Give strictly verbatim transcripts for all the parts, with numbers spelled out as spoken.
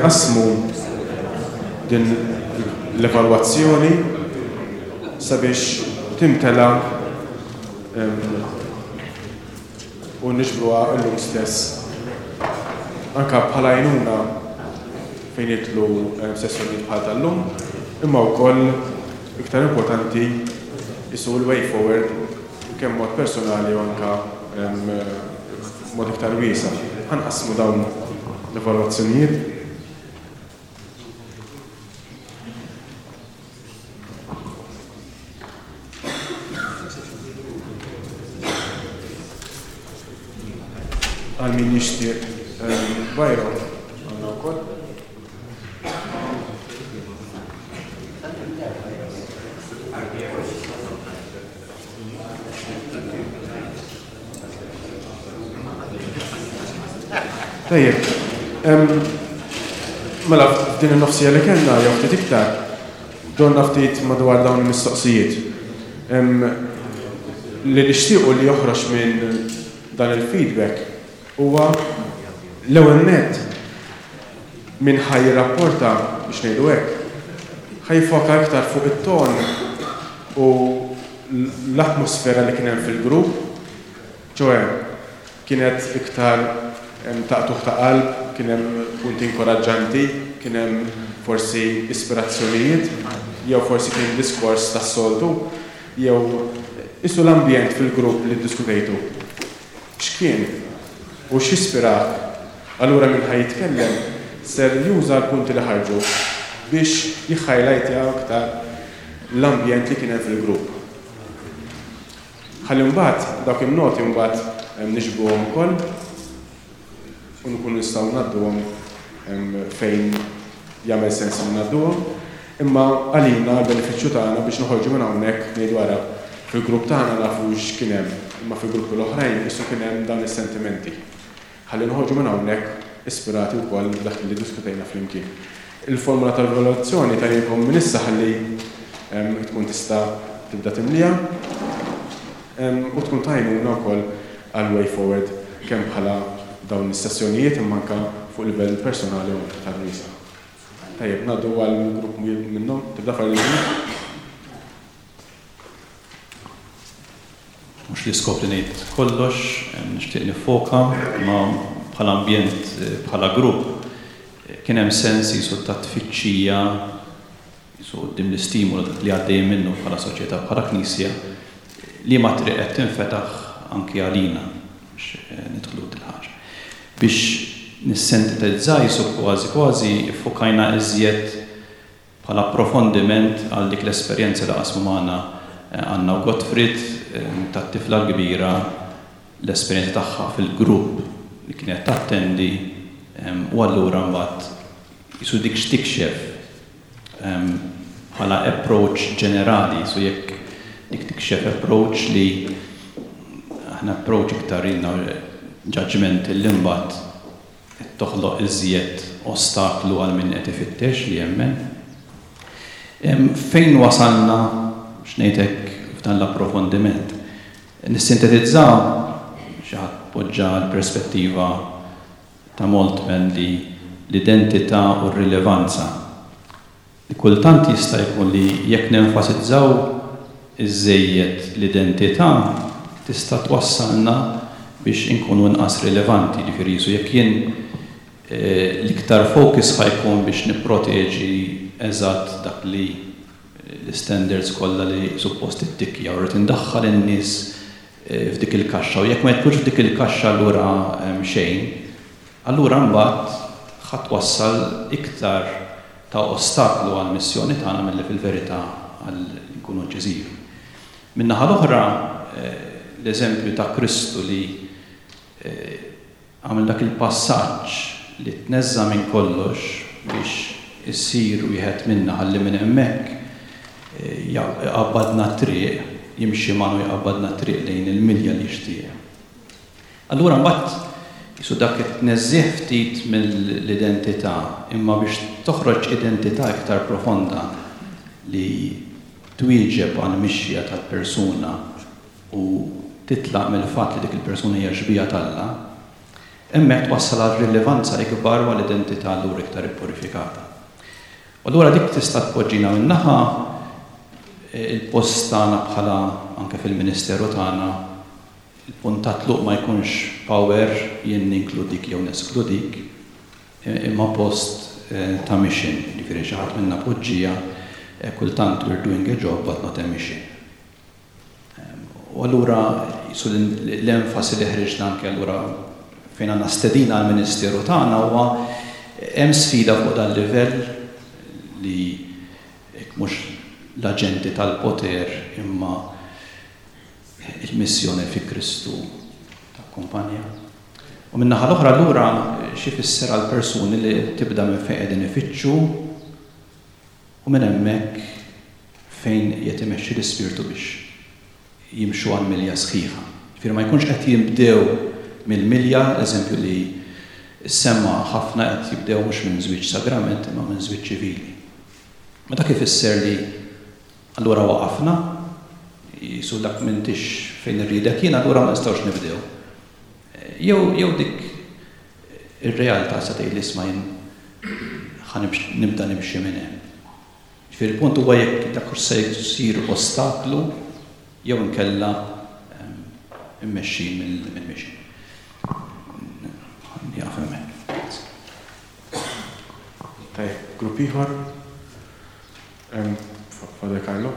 Inqassmu din l-evalwazzjoni sabiex timtela u niġbruha llum stess anke bħala għajnuna fejn jidħlu sessjonijiet bħal tal-lum, imma wkoll iktar importanti isu l-way forward kemm mod personali u anke mod iktar wiesa'. Ħa nqassmu dawn l-evalwazzjonijiet. Għal min jixtieq bajro għandna wkoll. Tajjeb, mela f'din in-nofsija li kellna jew ftit iktar, dorna ftit madwar dawn il-mistoqsijiet. Li nixtiequ li joħroġ minn dan il-feedback huwa l-ewwel nett min ħa jirrapporta, biex ngħidu hekk, ħa jiffoka iktar fuq it-ton u l-atmosfera li kien hemm fil-grupp, ċoè kienet iktar ta' qtugħ ta' qalb, kien hemm punti inkoraġġanti, kien hemm forsi ispirazzjonijiet, jew forsi kien diskors tas-soltu, jew isu l-ambjent fil-grupp li ddiskutejtu. X'kien u x'ispirak? Allura min ħa jitkellem ser juża l-punti li ħarġu biex jiħħajlajtja aktar l-ambjent li kien hemm fil-grupp. Ħalli mbagħad dawk in-noti mbagħad niġbruhom ukoll u nkunu nistgħu ngħadduhom fejn jagħmel sens li ngħadduhom, imma għalina l-benefiċċju tagħna biex noħorġu minn hawnhekk ngħidu ara fil-grupp tagħna nafu x'kien hemm, imma fil-gruppi l-oħrajn qisu kien hemm dawn is-sentimenti. Ħalli noħorġu minn hawnhekk ispirati wkoll b'dak li ddiskutejna flimkien. Il-formula tal-evalwazzjoni tajjebhom minn issa ħalli tkun tista' tibda timlija u tkun tajnuna wkoll għal way forward kemm bħala dawn is-sessjonijiet imma anke fuq livell personali u anke tal-wiesa'. Tajjeb, ngħaddu għal grupp minnhom, tibda farli. Mhux l-iskop li ngħid kollox, nixtieq nifoka, ma bħala ambjent, bħala grupp, kien hemm sens jisu ta' tfittxija jisu quddiem l-istimolu dak li għaddej minnu bħala soċjetà, bħala knisja, li ma triq qed tinfetaħ anki għalina biex nidħlu dil-ħaġa. Biex nissentetizza jisu kważi kważi ffokajna iżjed bħala approfondiment għal dik l-esperjenza li qasmu magħna Anna u Gottfried tat-tifla l-kbira, l-esperjenza tagħha fil-grupp li kienet tattendi, u allura mbagħad jisu dik x'tikxef bħala approach ġenerali, so jekk dik tikxef approach li aħna approach iktar ilna judgment li mbagħad qed toħloq iżjed ostaklu għal min qed ifittex li jemmen. Fejn wasalna x'ngħidlek f'dan l-approfondiment? Nissintetizzaw xi ħadd poġġa l-perspettiva ta' Moltmann li l-identità u r-rilevanza. Li kultant jista' jkun li jekk nenfasizzaw iżejjed l-identità tista' twassalna biex inkunu inqas rilevanti, ġifieri jisu jekk jien l-iktar focus ħajkun biex nipproteġi eżatt dak li l-standards kollha li suppost ittikkja u rrid indaħħal in-nies f'dik il-kaxxa, u jekk ma jidħlux f'dik il-kaxxa allura xejn, allura mbagħad ħa twassal iktar ta' ostaklu għall-missjoni tagħna milli fil-verità għal nkunu inċiżivi. Min-naħa l-oħra, l-eżempju ta' Kristu li għamel dak il-passaġġ li tneżża minn kollox biex issir wieħed minna ħalli minn hemmhekk jaqbadna t-triq, jimxi magħna u jaqbadna t-triq lejn il-milja li jixtieq. Allura mbagħad jisu dak it-tneżżih ftit mill-identità, imma biex toħroġ identità iktar profonda li twieġeb għall-mixja tal-persuna u titlaq mill-fatt li dik il-persuna hija xbieha t'Alla, Hemmhekk twassal għal rilevanza ikbar u għal identità allura iktar ippurifikata. U allura dik tista' tpoġġina min-naħa il-post tagħna bħala anke fil-ministeru tagħna, il-punt ta' tluq ma jkunx power jien ninkludik jew neskludik, imma post ta' mission, jiġifieri xi ħadd minna poġġija kultant we're doing a job but not a mission. U allura jisu l-enfasi li ħriġna anke allura fejn għandna stedina għall-ministeru tagħna huwa hemm sfida fuq dan livell li mhux l-aġenti tal-poter imma il-missjoni fi Kristu takkumpanja. U min-naħa l-oħra allura xi fisser għal persuni li tibda minn fejn qegħdin ifittxu u minn hemmhekk fejn qed imexxi l-Ispirtu biex jimxu għal milja sħiħa. Ġifieri ma jkunx qed jibdew mill-milja, eżempju li semma ħafna qed jibdew mhux minn żwieġ sagrament imma minn żwieġ ċivili. Ma dak ifisser li allura waqafna, jisu dak m'intix fejn irridek jien, allura ma nistgħux nibdew. Jew jew dik ir-realtà sa tgħid li isma' jien ħa nibda nimxi minn hemm. Ġifieri il-punt huwa jekk dak se jsir ostaklu jew inkella immexxi mill-mixi. Jaf hemmhekk. Tajjeb, grupp ieħor. Father Carlo.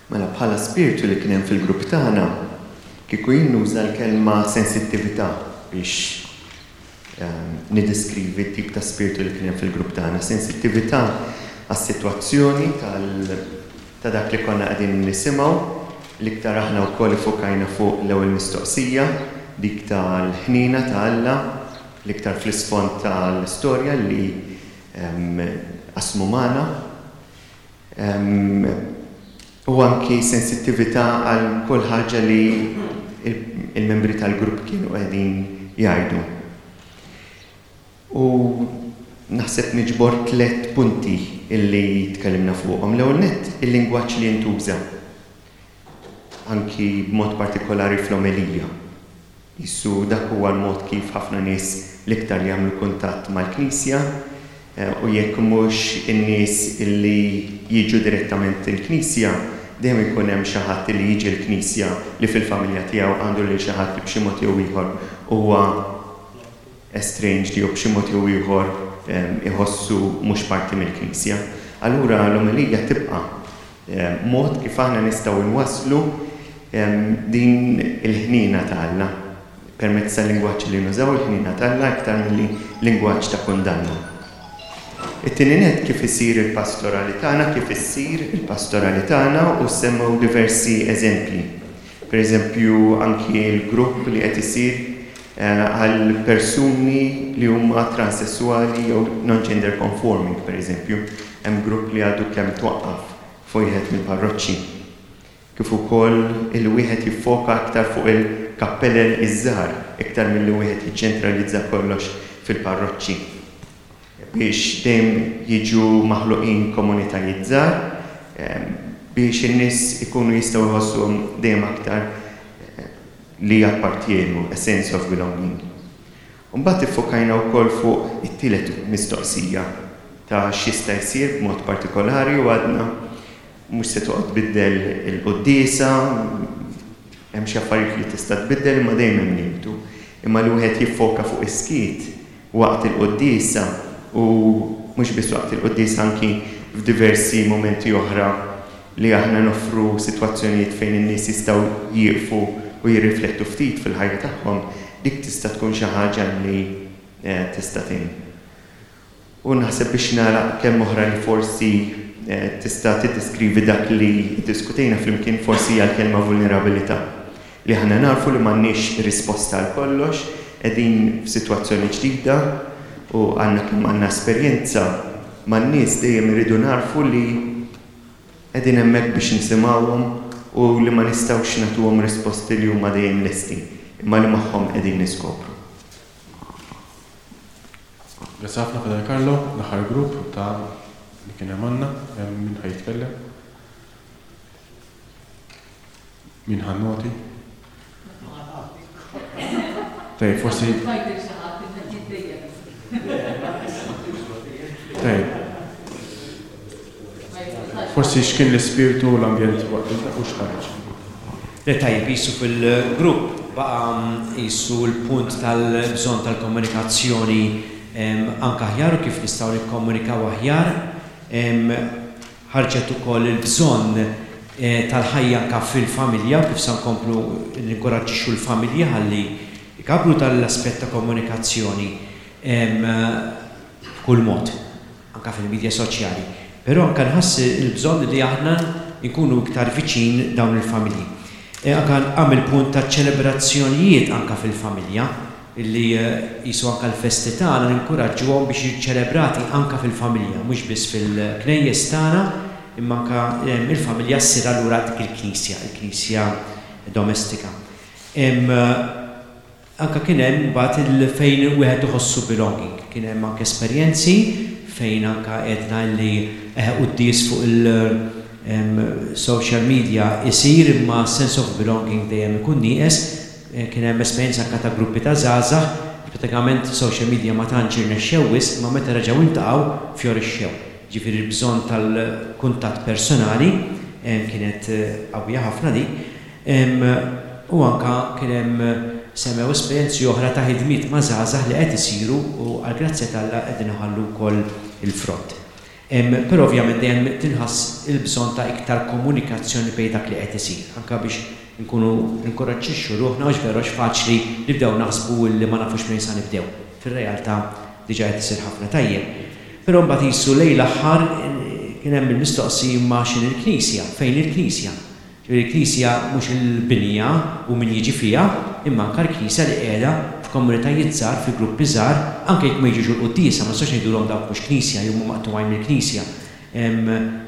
Mela bħala spiritu li kien hemm fil-grupp tagħna, kieku jien nuża l-kelma sensittività biex nideskrivi t-tip ta' spiritu li kien hemm fil-grupp tagħna. Sensittività għas-sitwazzjoni ta' dak li konna qegħdin nisimgħu, l-iktar aħna wkoll ifokajna fuq l-ewwel mistoqsija, dik tal-ħnina ta' Alla, l-iktar fl-isfond tal-istorja li qasmu magħna. U anki sensittività għal kull ħaġa li il-membri tal-grupp kienu qegħdin jgħidu. U naħseb niġbor tliet punti illi tkellimna fuqhom. L-ewwel nett il-lingwaġġ li jintuża, anki b'mod partikolari fl-omelija. Issu dak huwa l-mod kif ħafna nies l-iktar li jagħmlu kuntatt mal-Knisja, u jekk mhux in-nies illi jiġu direttament il-Knisja, dejjem ikun hemm xi ħadd li jiġi l-Knisja li fil-familja tiegħu għandu lil xi ħadd li b'xi mod jew ieħor huwa estranged jew b'xi mod jew ieħor iħossu mhux parti mill-Knisja. Allura l-omelija tibqa' mod kif aħna nistgħu nwasslu din il-ħnina ta' Alla permezz tal-lingwaġġ li nużaw, il-ħnina ta' Alla iktar milli lingwaġġ ta' kundanna. It-tieni nett kif isir il-pastorali tagħna, kif issir il-pastorali tagħna, u semmew diversi eżempji. Per eżempju anki l-grupp li qed isir għal persuni li huma transessuali jew non-gender conforming, per eżempju, hemm grupp li għadu kemm twaqqaf fuq wieħed mill-parroċċi. Kif ukoll il-wieħed jiffoka aktar fuq il-kappellel iż-żgħar iktar milli wieħed jiċċentralizza kollox fil-parroċċi, biex dejjem jiġu maħluqin komunitajiet żgħar, biex in-nies ikunu jistgħu jħossuhom dejjem aktar li jappartjenu, a sense of belonging. Mbagħad iffokajna wkoll fuq it-tielet mistoqsija ta' x'jista' jsir b'mod partikolari, u għadna mhux se toqgħod tbiddel il-quddiesa, hemm xi affarijiet li tista' tbiddel imma dejjem hemm limitu. Imma li wieħed jiffoka fuq is-skiet waqt il-quddiesa, u mhux biss waqt il-quddiesa, anki f'diversi momenti oħra li aħna noffru sitwazzjonijiet fejn in-nies jistgħu jieqfu u jirriflettu ftit fil-ħajja tagħhom, dik tista' tkun xi ħaġa li tista' tgħin. U naħseb biex nagħlaq kemm oħra li forsi tista' tiddeskrivi dak li ddiskutejna flimkien, forsi hija l-kelma vulnerabilità, li aħna narfu li m'għandniex risposta għal kollox, qegħdin f'sitwazzjoni ġdida u għandna kemm għandna esperjenza man-nies, dejjem irridu narfu li qegħdin hemmhekk biex nisimgħuhom u li ma nistgħux nagħtuhom risposti li huma dejjem lesti, imma li magħhom qegħdin niskopru. Grazzi ħafna Father Carlo, l-aħħar grupp ta' li kien hemm għandna, hemm min ħa jitkellem. Min ħa noti? Tajjeb, forsi. Tajjeb. Forsi x'kien l-ispirtu u l-ambjent waqt u x'ħareġ. Le, tajjeb, qisu fil-grupp baqa' qisu l-punt tal-bżonn tal-komunikazzjoni anke aħjar u kif nistgħu nikkomunikaw aħjar. Ħarġet ukoll il-bżonn tal-ħajja anke fil-familja u kif se nkomplu ninkoraġġixxu l-familja ħalli jkabru tal-aspett ta' komunikazzjoni b'kull mod, anke fil-medja soċjali. Però anke nħass il-bżonn li aħna nkunu iktar viċin dawn il-familji. Anke għam il-punt ta' ċelebrazzjonijiet anke fil-familja, illi qisu anke l-festi tagħna ninkuraġġuhom biex jiċċelebrati anke fil-familja, mhux biss fil-knejjes tagħna, imma anke il-familja ssir allura dik il-knisja, il-knisja domestika. Anke kien hemm mbagħad il fejn wieħed iħossu belonging, kien hemm anke esperjenzi fejn anke għedna li quddies fuq il-social media isir imma sense of belonging dejjem ikun nieqes. Kien hemm esperjenza anke ta' gruppi ta' żgħażagħ, pratikament social media ma tantx irnexxew wisq, imma meta reġgħu iltaqgħu fjorixxew. Ġifieri l-bżonn tal-kuntatt personali kienet qawwija ħafna dik. U anke kien hemm semmew esperjenzi oħra ta' ħidmiet ma' żgħażagħ li qed isiru u għall-grazzja t'Alla qegħdin iħallu wkoll il-frott. Però ovvjament dejjem tinħass il-bżonn ta' iktar komunikazzjoni bejn dak li qed isir, anke biex nkunu ninkoraġġixxu ruħna, għax veru għax faċli nibdew naħsbu li ma nafux minn sa nibdew. Fir-realtà diġà qed isir ħafna tajjeb. Però mbagħad qisu lejn l-aħħar kien hemm il-mistoqsija ma' x'in il-Knisja, fejn il-Knisja. Ġifieri il-Knisja mhux il-binja u min jiġi fiha, imma anke l-Knisja li qiegħda f'komunitajiet żgħar, fi gruppi żgħar, anke jekk ma jiġux il-quddiesa, ma nistax ngħidulhom dawk mhux Knisja jew huma maqtugħin mill-Knisja.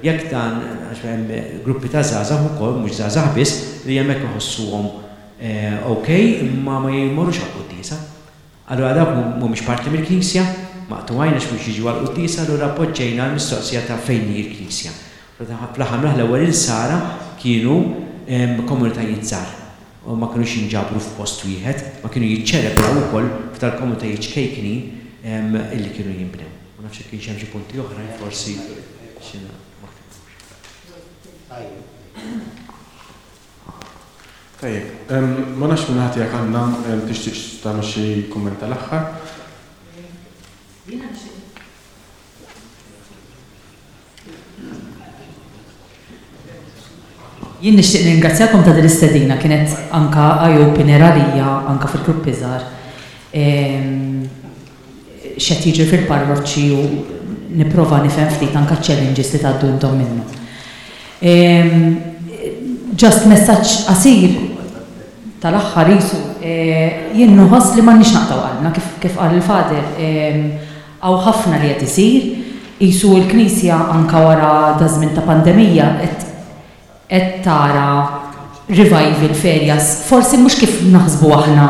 Jekk dan, għax hemm gruppi ta' żgħażagħ ukoll, mhux żgħażagħ biss, li hemmhekk iħossuhom ok, imma ma jmorrux għall-quddiesa. Allura dawk mhumiex parti mill-Knisja, maqtugħin għax mhux jiġu għall-quddiesa, allura poġġejna l-mistoqsija ta' fejn hi l-Knisja. Fl-aħħar mill-aħħar l-ewwel insara kienu komunitajiet żgħar u ma kinux jinġabru f'post wieħed, ma kienu jiċċelebraw ukoll f'tal-komunitajiet ċkejknin illi kienu jinbnew. Ma nafx jekk kienx hemm xi punti oħrajn forsi xi ma ktibux. Tajjeb, ma nafx minn ħadd jekk għandna tixtieq tagħmel xi kumment tal-aħħar. Jien nixtieq ningrazzjakom ta' din l-istedina, kienet anka eye-opener għalija anka fil-gruppi żgħar. X'qed jiġri fil-parroċċi u nipprova nifhem ftit anka challenges li tgħaddu intom minnu. Just messaġġ qasir tal-aħħar qisu, jien nħoss li m'għandniex naqtgħu qalbna kif, kif qal il-Father, hawn ħafna li qed isir, qisu l-Knisja anka wara da żmien ta' pandemija qed qed tara revival f'areas, forsi mhux kif naħsbu aħna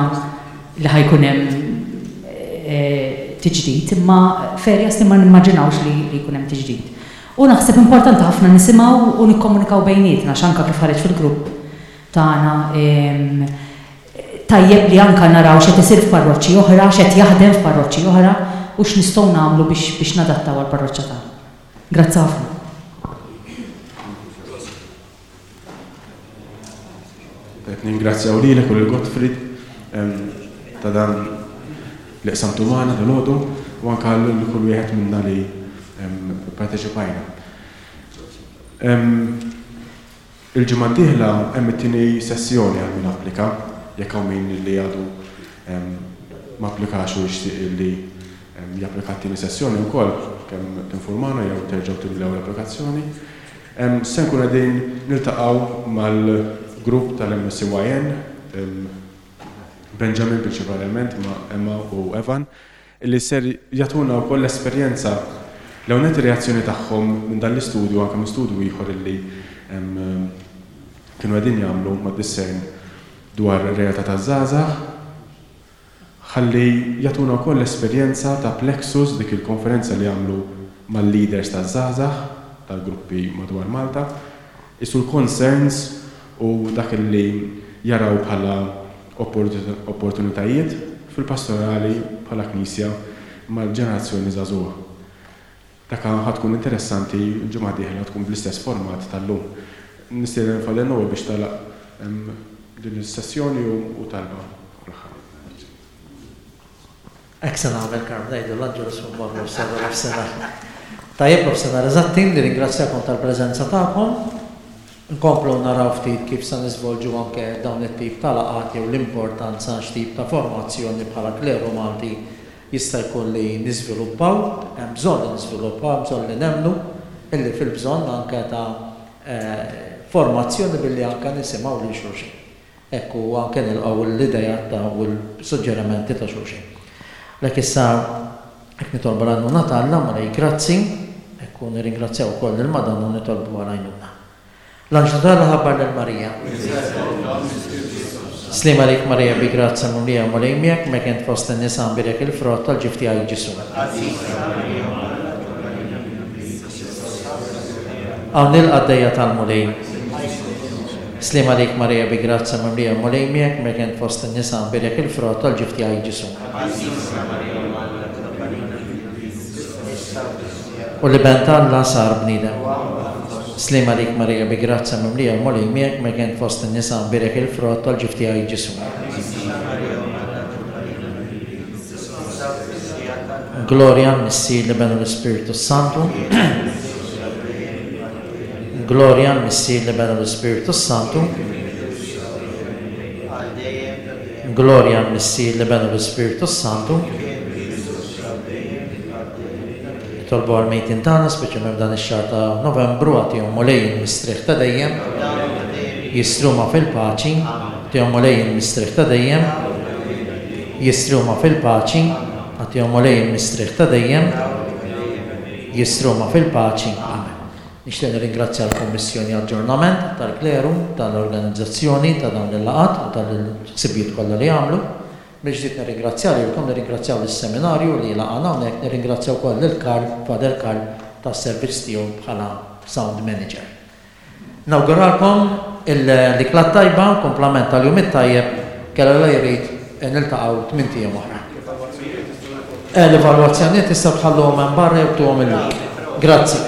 li ħajkun hemm tiġdid, imma f'areas li ma nimmaġinawx li jkun hemm tiġdid. U naħseb importanti ħafna nisimgħu u nikkomunikaw bejnietna, għax anka kif ħareġ fil-grupp tagħna tajjeb li anka naraw x'qed isir f'parroċċi oħra, x'qed jaħdem f'parroċċi oħra u x'nistgħu nagħmlu biex, biex nadattaw għall-parroċċa tagħna. Grazzi ħafna. Qed ningrazzjaw lilek u lil Gottfried ta' dan li qsamtu magħna dalgħodu u anke lil kull wieħed minna li parteċipajna. Il-ġimgħa d-dieħla hemm it-tieni sessjoni għal min applika, jekk hawn min li għadu ma applikax u jixtieq li japplika t-tieni sessjoni wkoll, kemm tinformana jew terġgħu timlew l-applikazzjoni. Se nkun qegħdin niltaqgħu mal-grupp tal-M S Y N, Benjamin prinċipalment ma' Emma u Evan, li ser jagħtuna wkoll l-esperjenza l-ewwel reazzjoni tagħhom minn dan l-istudju, anke minn studju ieħor illi kienu qegħdin jagħmlu ma' Discern dwar ir-realtà taż-żgħażagħ, ħalli jagħtuna wkoll l-esperjenza ta' Plexus, dik il-konferenza li għamlu mal-leaders taż-żgħażagħ tal-gruppi madwar Malta, isu l-concerns u dak li jaraw bħala opportunitajiet fil-pastorali bħala Knisja mal-ġenerazzjoni żagħżugħa. Dak ħa tkun interessanti, l-ġimgħa dieħla tkun bl-istess format tal-lum. Nistieden Father Noel biex tagħlaq din is-sessjoni u talba fl-aħħar. Hekk se nagħmel, Karm, ngħidu l-Angelus fuq barra nofsinhar. Tajjeb, nofsinhar eżatti, nirringrazzjakom tal-preżenza tagħkom. Nkomplu naraw ftit kif se niżvolġu anke dawn it-tip ta' laqgħat jew l-importanza x'tip ta' formazzjoni bħala kleru Malti jista' jkun li niżviluppaw, hemm bżonn li niżviluppaw, hemm bżonn li nemmnu illi fil-bżonn anke ta' formazzjoni billi anke nisimgħu lil xulxin. Ekku anke nilqgħu l-idejat ta' u l-suġġerimenti ta' xulxin. Lek issa hekk nitolbu l-għajnuna ta' Alla, Mulej grazzi, ekku nirringrazzjaw ukoll lil Madonna u nitolbu għal-għajnuna. L-anġlu ta' Alla ħabbar lil Marija. Sliem għalik Marija bi grazzja mimlija, Mulej miegħek, mek int fost in-nisa, mbierek il-frott tal-ġuf tiegħek Ġesù. Hawn il-qaddejja tal-Mulej. Sliem għalik Marija bi grazzja mimlija, Mulej miegħek, mek int fost in-nisa, mbierek il-frott tal-ġuf tiegħek Ġesù. U l-Iben t'Alla sar bniedem. Sliem għalik Marija bi grazzja mimlija, Mulej miegħek, mek int fost in-nisa, mbierek il-frott tal-ġuf tiegħek Ġesù. Gloria l-Missier, l-Iben u l-Ispirtu Santu. Gloria l-Missier, l-Iben u l-Ispirtu Santu. Gloria l-Missier, l-Iben u l-Ispirtu Santu. Nitolbu għal-mejtin tagħna, speċjalment f'dan ix-xahar ta' Novembru, agħtihom Mulej il-mistrieħ ta' dejjem, jistruma fil-paċi, agħtihom Mulej il-mistrieħ ta' dejjem, jistruma fil-paċi, agħtihom Mulej il-mistrieħ ta' dejjem, jistruma fil-paċi. Amen. Nixtieq nirringrazzja l-Kummissjoni Aġġornament tal-Kleru, tal-organizzazzjoni ta' dawn il-laqgħat u tal-ħsibijiet kollha li għamlu. Mill-ġdid nirringrazzja lilkom, nirringrazzjaw lis-seminarju li laqgħana hawnhekk, nirringrazzjaw ukoll lil Karl, Father Karl, tas-servizz tiegħu bħala sound manager. Nawguralkom l-ikla tajba, kumplament tal-jum it-tajjeb, kellha la jrid niltaqgħu tmien ijiem oħra. L-evalwazzjonijiet tistgħu tħalluhom hemm barra jew tuhom illum. Grazzi.